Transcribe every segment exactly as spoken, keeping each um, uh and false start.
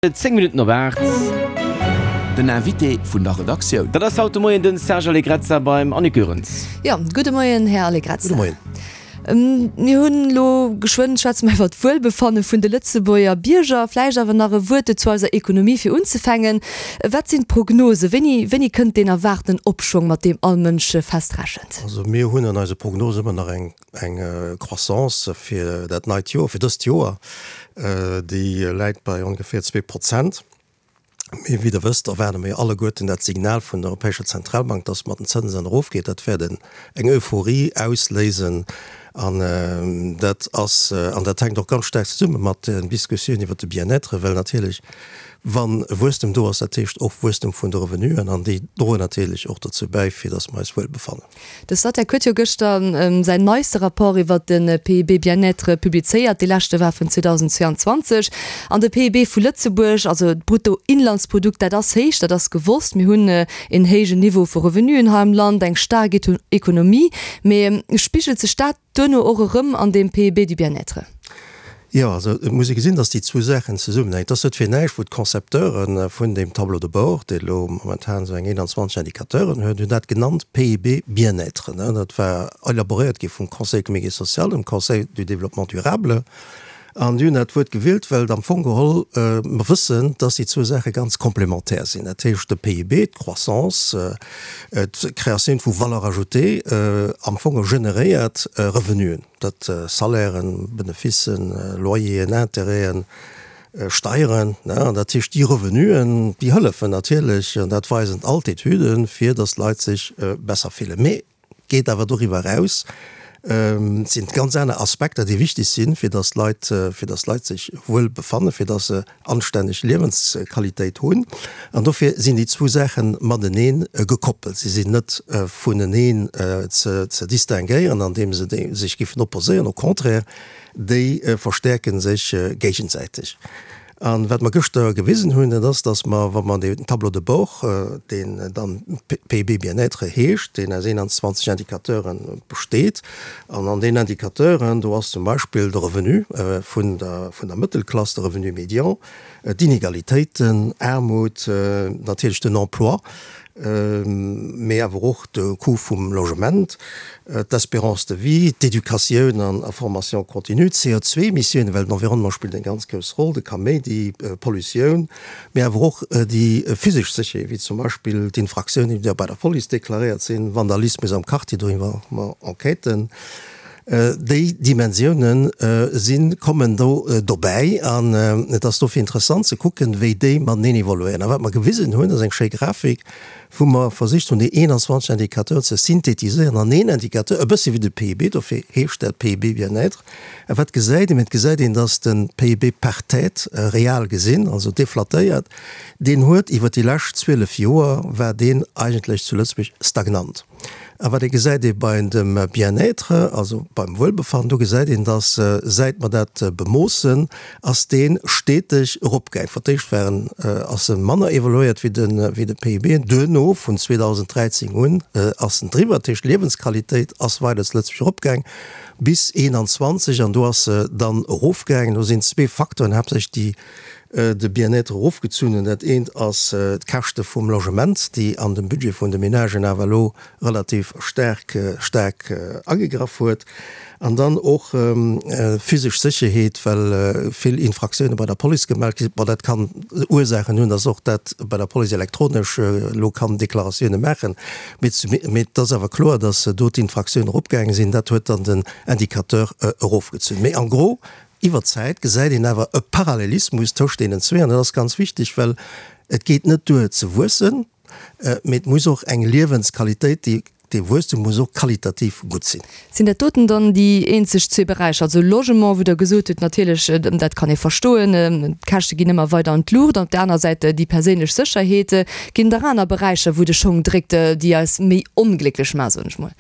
Zéng Minutten op aacht. Den Invité vun der Redaktioun. Dat ass haut de Moien den Serge Allegrezza beim Annick Goerens. Jo, gudde Moien, Här Allegrezza. Gudde Moien. Mir hunn elo geschwënn, schwätze mer iwwer d'Wuelbefanne vun de Lëtzebuerger Bierger. Vläicht awer nach e Wuert zu eiser Ekonomie fir unzefänken. Wat sinn d'Prognosen? Wéini, wéini kënnt deen erwaarten Opschwong, mat deem all Mënsch fest rechent? Also mir hunn an eise Prognosen ëmmer nach eng, eng Croissance fir dat neit Joer, fir dëst Joer. Déi läit bei ongeféier zwee Prozent. Mee wéi Der wësst, erwaarde mir jo alleguerten dat Signal vun der Europäescher Zentralbank, dass mat den Zënsen erofgeet. Dat wäert eng Euphorie ausléisen. An dat ass, an dat hänkt och ganz staark zesumme mat den Diskussionen iwwert de Bien-être, well natierlech, wa Wuesstem do ass, dat heescht och Wuesstem vun de Revenuen, an déi droen natierlech och dozou bäi, fir dass mer eis wuel befannen. De Statec huet jo gëschter säin neiste Rapport iwwert de P I B Bien-être publizéiert. Dee leschte war vun zweedausendzweeanzwanzeg. An de P I B vu Lëtzebuerg, also d'Bruttoinlandsprodukt, dat ass héich, dat ass gewosst. Mir hunn een héijen Niveau vu Revenuen hei am Land, eng staark Ekonomie. Mee spigelt sech dat duerno och erëm an deem P I B du bien-être? Jo, also et muss ee gesinn, datt déi zwou Saachen zesummenhänken. Et ass net fir näischt, wou d'Concepteure vun deem Tableau de bord, dee elo momentan esou eng eenanzwanzeg Indicateuren huet, hunn dat genannt P I B bien-être. Dat war elaboréiert gi vum Conseil économique et social, dem Conseil du développement durable. An déi hunn dat Wuert gewielt, well et am Fong geholl mer wëssen, datt déi zwou Saache ganz komplementär sinn. Dat heescht, de P I B, d'Croissance, d'Créatioun vu Valeur ajoutée am Fong generéiert Revenuen. Dat Salairen, Beneficen, Loyeren, Intérêten, Steieren, an dat heescht déi Revenuen, déi hëllefen natierlech, an dat weisen all d'Etüden, fir datt d'Leit sech besser fillen. Mee geet awer doriwwer eraus, et sinn ganz aner Aspekter, déi wichteg sinn, fir datt d'Leit, fir datt d'Leit sech wuel befannen, fir datt se anstänneg Liewensqualitéit hunn. An dofir sinn déi zwou Saache matenee gekoppelt. Si sinn net vuneneen ze ze distinguéieren, andeem se sech géifen opposéieren. Au contraire, déi verstäerke sech géigesäiteg. An wat mer gëschter gewisen hunn, dat ass, dass mer, wa mer deen Tableau de bord, deen dann P I B Bien-être heescht, deen aus eenanzwanzeg Indicateure besteet, an an deenen Indicateuren, do ass zum Beispill de Revenu vun der, vun der Mëttelklass, de Revenu médian, d'Inegalitéiten, Aarmut, natierlech den Emploi, mee awer och de Coût vum Logement, d'Espérance de vie, d'Educatioun an a Formation continue, d'C O zwee Emissiounen, well den Environnement spillt eng ganz grouss Roll, de Kaméidi, Pollutioun, mee awer och déi physesch Sécherheet, wéi zum Beispill d'Infraktiounen, déi bei der Police deklaréiert sinn, Vandalismus am Quartier, doriwwer hu mer Enquêten. Déi Dimensiounen si kommen do dobäi an et ass dofir interessant ze kucken, wéi déi mateneen evoluéieren. A wat mer gewisen hunn, ass eng schéi Grafik, wou mer versicht hunn, déi eenanzwanzeg Indicateuren ze synthetiséieren an een Indicateur, e bëssi wéi de P I B, dofir heescht dat P I B Bien-être. A wat gesäit een? Et gesäit een, datt de P I B par tête, real gesinn, also deflatéiert, deen huet iwwer déi lescht zwielef Joer, war deen eigentlech zu Lëtzebuerg stagnant. A wat ee gesäit ee bei dem Bien-être, also beim Wuelbefannen, do gesäit een, datt säit mer dat bemoossen, ass dee steteg eropgaang. Fir d'éischt war en, ass e manner evoluéiert wéi de, wéi de P I B, duerno vun zweedausendräizéng un ass en driwwer. Dat heescht, d'Liewensqualitéit ass weider zu Lëtzebuerg eropgaang bis eenanzwanzeg an do ass se dann erofgaangen. Do sinn zwee Facteuren haaptsächlech, déi de Bien-être erofgezunn hunn. Dat eent ass d'Käschte vum Logement, déi an dem Budget vun de Menagen awer elo relativ staark staark agegraff huet. An dann och physesch Sécherheet, well vill Infraktioune bei der Police gemellt gi sinn. Bon, dat kann Ursaachen hunn, datt och dat bei der Police elektronesch elo kann Deklaratioune maachen. Mee et ass awer kloer, datt do d'Infraktioune eropgaange sinn. Dat huet dann den Indicateur erofgezunn. Mee en gros, iwwer d'Zäit gesäit een awer e Parallelismus tëscht deenen zwee an dat ass ganz wichteg, well et geet net duer ze wuessen, mee et muss och eng Liewensqualitéit, déi dee Wuesstum muss och qualitativ gutt sinn. Sinn dat doten dann déi eenzeg zwee Beräicher, also Logement, wou Der gesot hutt, natierlech, dat kann ee verstoen, d'Käschte ginn ëmmer weider an d'Luucht, an op där aner Säit déi perséinlech Sécherheet. Ginn et nach aner Beräicher, wou de Schong dréckt, déi eis méi onglécklech maachen, soen ech mol?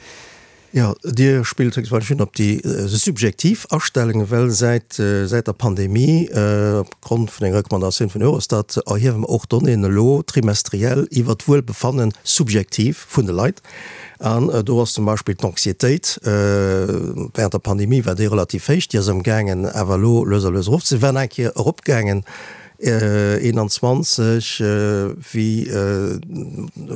Jo, Dir spillt héchstwahrscheinlech un op déi subjektiv Astellungen, well säit säit der Pandemie, opgrond vun enger Recommandatioun vun Eurostat, erhiewe mer och Donnéeën elo trimestriell iwwert d'Wuelbefannen subjektiv vun de Leit. An do ass zum Beispill d'Anxiétéit, während der Pandemie war déi relativ héich, déi ass amgaangen awer elo lues a lues erofze, war eng Kéier eropgaangen. eenanzwanzeg wéi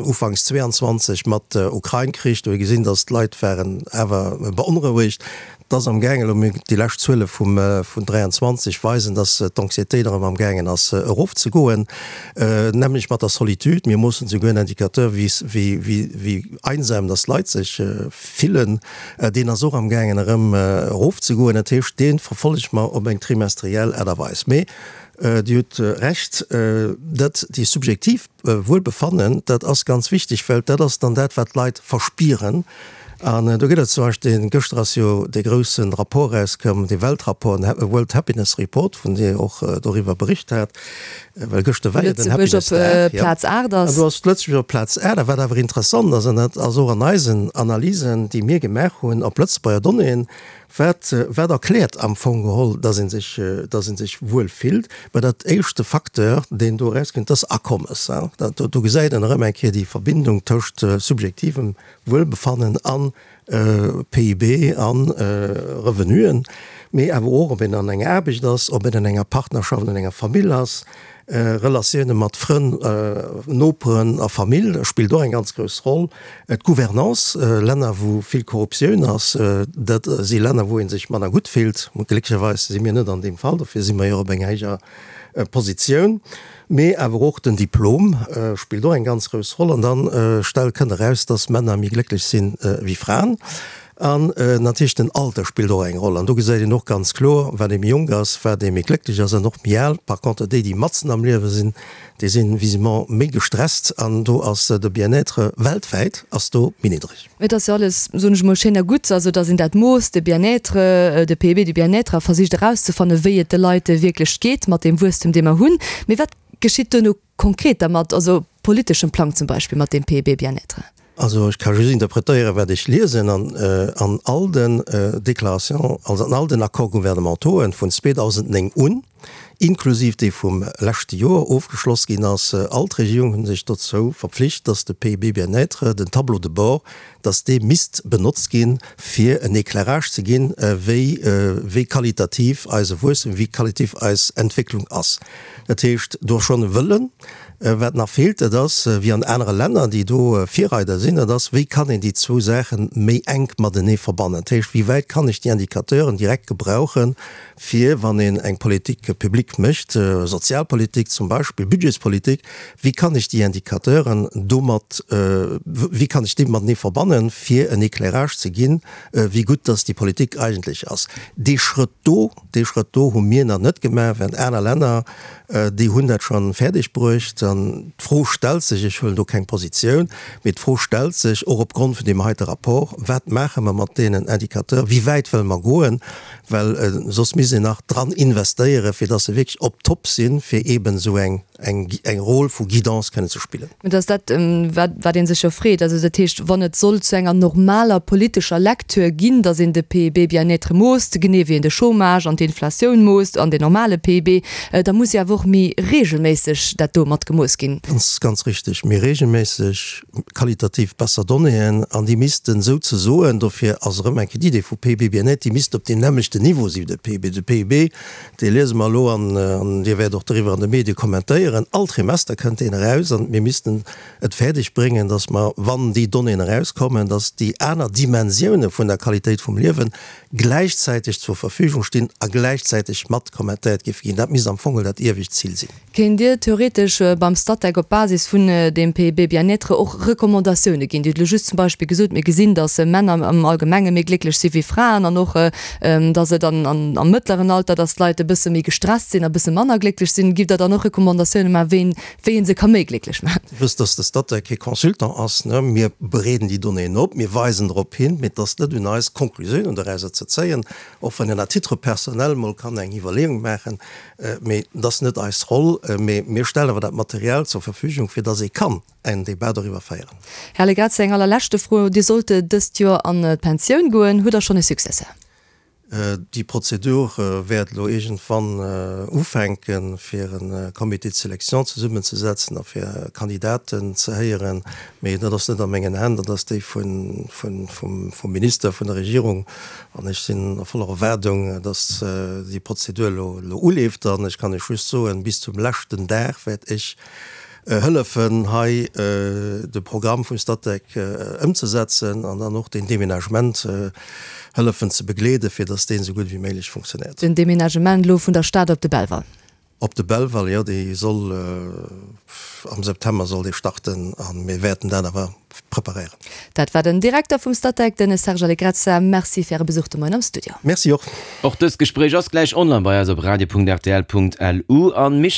ufanks zweeanzwanzeg mat der Ukrain-Krich, do hu gesinn, datt d'Leit waren awer beonrouegt. Et ass amgaangen, elo déi lescht Zuele vum vun dräianzwanzeg weisen, datt d'Anxiétéit erëm amgaangen ass erofzegoen, nämlech mat der Solitude. Mir moossen souguer en Indicateur, wéi wéi wéi einsam datt d'Leit sech fillen. Deen ass och amgaangen erëm erofzegoen. Dat heescht, dee verfollege mer op eng trimestriell Aart a Weis. Mee Dir hutt Recht, dat déi subjektiv Wuelbefannen, dat ass ganz wichteg, well dat ass dann dat, wat d'Leit verspieren. An do gëtt et zum Beispill, gëschter ass jo dee grousse Rapport erauskomm, dee Weltrapport, den World Happiness Report, vun dir och doriwwer bericht hat, well gëschter war jo den Happiness Dag. Plaz aacht ass. An do ass Lëtzebuerg op Plaz aacht. A wat awer interessant ass, an dat ass och an eisen Analysen, déi mir gemaach hunn op Lëtzebuerger Donnéeën, Wat, wat erkläert am Fong geholl, dass ee sech, dass ee sech wuel fillt? Mä dat éischte Facteur, deen do erauskënnt, dat ass Akommes. Dat, do gesäit een erëm eng Kéier déi Verbindung tëscht subjektivem Wuelbefannen a P I B a Revenuen, mee awer och, ob een an enger Aarbecht ass, ob een an enger Partnerschaft, an enger Famill ass. Relatioune mat Frënn, Noperen a Famill spillt och eng ganz grouss Roll. D'Gouvernance, Länner wou vill Korruptioun ass, dat si Länner wou ee sech manner gutt fillt. Glécklecherweis si mir net an deem Fall, dofir si mer jo op enger héijer Positioun. Mee awer och den Diplom spillt och eng ganz grouss Roll. An da stellt, kënnt eraus, datt Männer méi glécklech sinn wéi Fraen. An natierlech den Alter spillt och eng Roll. An do gesäit een och ganz kloer, wat ee méi jonk ass, wat ee méi glécklech ass an och méi al. Par contre déi, déi matzen am Liewe sinn, déi si visiblement méi gestresst an do ass de Bien-être weltwäit ass do méi niddreg. Et ass jo alles, soen ech emol, schéin a gutt, also datt een dat moosst, de Bien-être, de P I B du bien-être, a versicht erauszefannen, wéi et de Leit wierklech geet mat deem Wuesstem, dee mer hunn. Mee wat geschitt duerno konkret dermat, also op politeschem Plang zum Beispill mat deem P I B bien-être? Also ech ka just interpretéieren, wat ech liesen an an all den Déclarations, also an all den Accords gouvernementauxen vun zweedausendnéng un, inklusiv dee vum leschte Joer ofgeschloss ginn ass, all d'Regierungen hu sech dozou verpflicht, dass de P I B bien-être, den Tableau de bord, dass dee misst benotzt ginn, fir en Éclairage ze ginn, wéi wéi qualitativ eise Wuesstem, wéi qualitativ eis Entwécklung ass. Dat heescht, do ass schonn e Wëllen. Wat nach feelt, dat ass, wéi an anere Länner, déi do Virreider sinn, dat ass, wéi kann een déi zwou Saache méi enk matenee verbannen? Dat heescht, wéi wäit kann ech déi Indicateuren direkt gebrauchen, fir, wann een eng Politique publique mécht, Sozialpolitik zum Beispill, Budgetspolitik, wéi kann ech déi Indicateuren domat, wéi kann ech déi matenee verbannen, fir en Éclairage ze ginn, wéi gutt dass déi Politik eigentlech ass? Dee Schrëtt do, dee Schrëtt do hu mir nach net gemaach, während aner Länner, Déi hunn dat scho fäerdeg bruecht. An d'Fro stellt sech, ech huelen do keng Positioun, mee d'Fro stellt sech och opgrond vun deem heite Rapport, Wat maache mer mat deenen Indicateuren? Wéi wäit wëlle mer goen? Well soss misst een nach dran investéieren, fir datt se wierklech op top sinn, fir eeben esou eng eng Rôle vu Guidance kënnen ze spillen. Mä et ass dat, wat wat ee sech jo freet. Also dat heescht, wann et soll zu enger normaler politescher Lecture ginn, datt een de P I B bien-être moosst, genee wéi een de Chômage an d'Inflatioun moosst an den normale P I B, da muss jo awer och méi regelméisseg dat do mat gemooss ginn. Ganz, ganz richtig, méi regelméisseg, qualitativ besser Donnéeën, an déi missten souzesoen, dofir ass erëm eng Kéier d'Idee vu P I B bien-être, déi misst op deem nämmlechten Niveau si wéi de P I B. De P I B, dee liese mer elo an, an Dir wäert och doriwwer an de Medie kommentéieren, all Trimester kënnt deen eraus, an mir missten et fäerdeg bréngen, dass mer, wann déi Donnéeën erauskommen, dass déi aner Dimensioune vun der Qualitéit vum Liewen gläichzäiteg zur Verfügung stinn a gläichzäiteg mat kommentéiert géife ginn. Dat misst am Fong dat iewescht Zil sinn. Kéint Dir theoretesch beim Statec op Basis vun deem P I B Bien-être och Recommandatioune ginn? Dir hutt elo just zum Beispill gesot, mir gesinn, datt Männer am Allgemenge méi glécklech si wéi Fraen an och, datt et am mëttleren Alter, datt d'Leit e bësse méi gestresst sinn a bësse manner glécklech sinn. Gitt Der dann och Recommandatioune maachen, wéi een, wéi ee se ka méi glécklech maachen? Dir wësst, datt de Statec kee Consultant ass. Mir bereeden déi Donnéeën op, mir weisen drop hin, mee et ass net un eis, Konklusiounen dorauser ze zéien, och wann een à titre personnel mol kann eng Iwwerleeung maachen, mee et ass net eis Roll. Mee mir stellen awer dat Material zur Verfügung, fir datt ee kann en Débat doriwwer féieren. Här Allegrezza, eng allerleschte Fro, Dir sollt dëst Joer an d'Pensioun goen. Hutt Der schonn e Successeur? Déi Prozedur wäert elo iergendwann ufänken, fir e Comité de sélection zesummenzesetzen a fir Kandidaten ze héieren. Mee dat ass net a mengen Hänn, dat ass déi vum Minister, vun der Regierung. An ech sinn a voller Erwaardung, datt déi Prozedur elo uleeft. An ech kann Iech just soen, bis zum leschten Dag wäert ech hëllefen, hei de Programm vum Statec ëmzesetzen an dann och deen Deménagement hëllefen ze begleeden, fir datt deen esou gutt wéi méiglech funktionéiert. Den Deménagement elo vun der Stad op de Belval? Op de Belval, jo, dee soll am September soll dee starten a mir wäerten dat awer preparéieren. Dat war den Direkter vum Statec, den Serge Allegrezza. Merci fir Äre Besuch de Moien am Studio. Merci och. Och dëst Gespréich ass gläich online bei eis op radio.rtl.lu. An Michel.